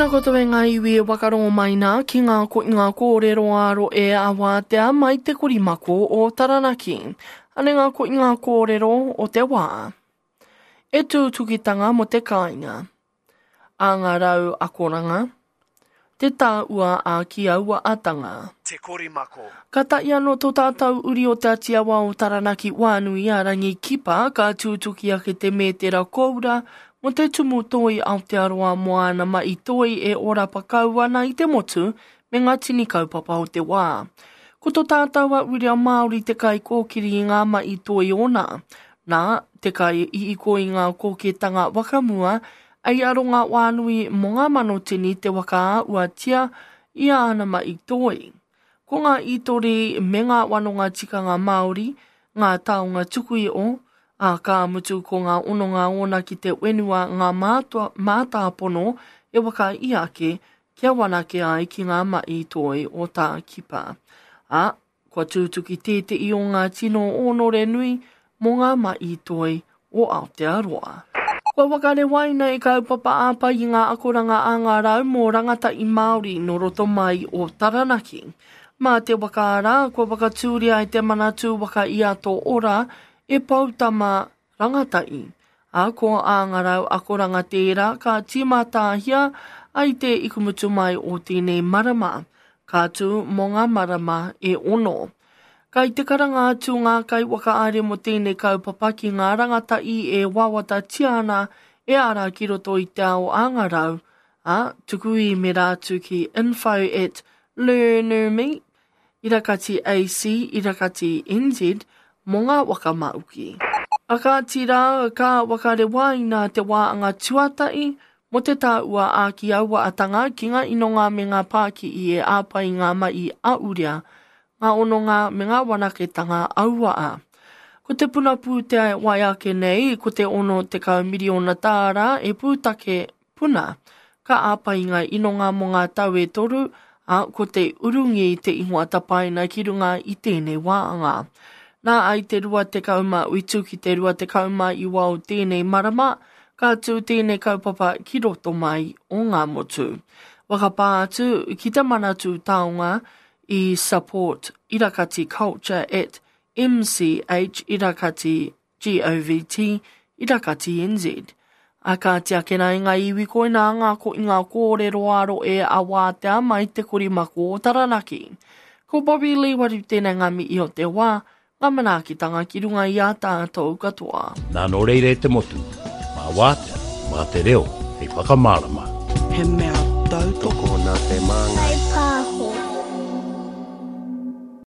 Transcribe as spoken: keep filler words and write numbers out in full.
Tēnā koutou e ngā iwi e wakarongo mai nā ki ngā koinga kōrero āro e awātea mai te korimako o Taranaki. Ane ngā koinga kōrero o te wā. E tūtukitanga mo te kāinga. A ngā rau akoranga. Te tāua a ki aua atanga. Te korimako. Ka tahi anō tō tātou uri o Te Atiawa o Taranaki Wānui a Rangi Kipa ka tūtuki ake te mētera koura mo te tumu toi Aotearoa mo āna mai toi e ora pakau ana i te motu me ngā tini kaupapa o te wā. Ko tō tātou a Uria Māori te kai kōkiri i ngā mai toi ona. Nā, te kai i iko i ngā kōketanga wakamua, ei aronga wānui mo ngā mano tini te waka uatia i āna mai toi. Ko ngā itori me ngā wanonga tikanga Māori, ngā taonga tukui o, a ka mutu ko ngā ononga ona ki te wenua ngā mātua, mātāpono e waka i ake kia wanake ai ki ngā mai toi o tā kipa. A, kua tūtuki tēte i o ngā tino onore nui mō ngā mai toi o Aotearoa. Kua wakare waina e kaupapa āpai i ngā akoranga a ngā rau mō rangata i Māori no roto mai o Taranaki. Mā te wakaara, kua wakatūria e te manatū waka i a tō ora e poutama rangatai. A ko a ngā rau akoranga tērā ka tīmatāhia ai te ikumutu mai o tēnei marama. Ka tū mō ngā marama e ono. Kai te karanga atu ngā kai wakaare mo tēnei kaupapa ki ngā rangatai e wawata tiana e ara ki roto i te ao a ngā rau, a tuku i me rātu ki info at learnerme, irakati AC, irakati N Z, mō ngā waka mauki. A ka tira ka wakare waina te wāanga tuatai mo te tāua a ki aua atanga ki ngā inonga me ngā pāki i e āpai ngā mai a urea, ngā ononga me ngā wanaketanga aua a. Ko te puna pūtea wai ake nei, ko te ono tekau miriona tāra e pūtake puna. Ka āpai ngā inonga mō ngā tau e toru, a ko te urungi te ingoa tapaina ki runga i tēnei wāanga. Nā ai te rua tekau mā utu ki te rua tekau mā iwa o tēnei marama, ka tū tēnei kaupapa ki roto mai o ngā motu. Wakapā atu ki te Manatū Taonga i support irakati culture at M C H irakati govt irakati N Z. A ka tiakena i ngā iwi koina ngā ko i ngā kōrero aro e a wātea mai te korimako o Taranaki. Ko Bobby Lee waru tēnei ngā mihi o te wā, ngā manaakitanga ki runga i a tātou katoa. Nā nō reira e te motu, mā wātea, mā te reo, hei whakamārama. He mea tautoko Tokona te māngai. Whai pāho.